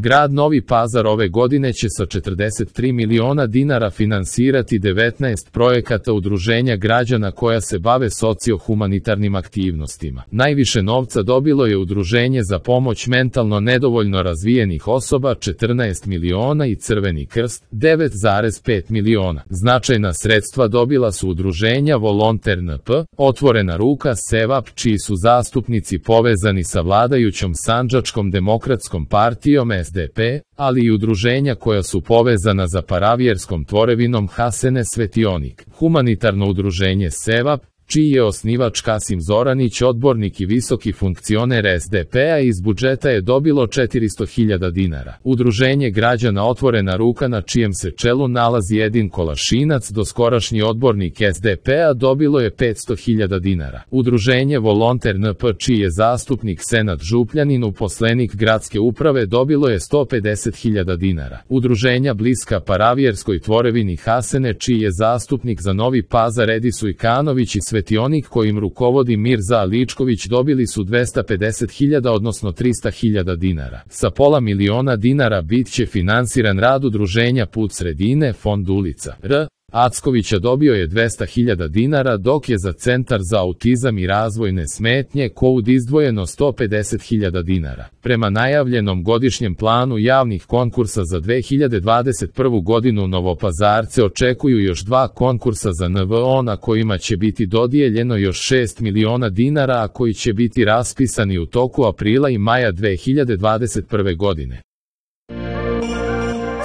Grad Novi Pazar ove godine će sa 43 miliona dinara finansirati 19 projekata udruženja građana koja se bave socio-humanitarnim aktivnostima. Najviše novca dobilo je Udruženje za pomoć mentalno nedovoljno razvijenih osoba 14 miliona i Crveni krst 9,5 miliona. Značajna sredstva dobila su udruženja Volonter NP, Otvorena ruka, Sevap, čiji su zastupnici povezani sa vladajućom Sandžačkom demokratskom partijom SDP, ali i udruženja koja su povezana za paravjerskom tvorevinom Hasene Svetionik. Humanitarno udruženje Sevap, čiji je osnivač Kasim Zoranić, odbornik i visoki funkcioner SDP-a, iz budžeta je dobilo 400.000 dinara. Udruženje građana Otvorena ruka, na čijem se čelu nalazi Edin Kolašinac, doskorašnji odbornik SDP-a, dobilo je 500.000 dinara. Udruženje Volonter NP, čiji je zastupnik Senad Župljanin, uposlenik gradske uprave, dobilo je 150.000 dinara. Udruženja bliska paravjerskoj tvorevini Hasene, čiji je zastupnik za Novi Pazar Edi Sujkanović i Svetionik kojim rukovodi Mirza Aličković, dobili su 250.000 odnosno 300.000 dinara. Sa pola miliona dinara bit će finansiran rad udruženja Put sredine, Fond ulica R. Ackovića dobio je 200.000 dinara, dok je za Centar za autizam i razvojne smetnje KOUD izdvojeno 150.000 dinara. Prema najavljenom godišnjem planu javnih konkursa za 2021. godinu Novopazarce očekuju još 2 konkursa za NVO na kojima će biti dodijeljeno još 6 miliona dinara, a koji će biti raspisani u toku aprila i maja 2021. godine.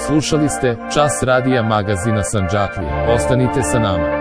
Slušali ste Čas radija magazina Sandžaklija. Ostanite sa nama.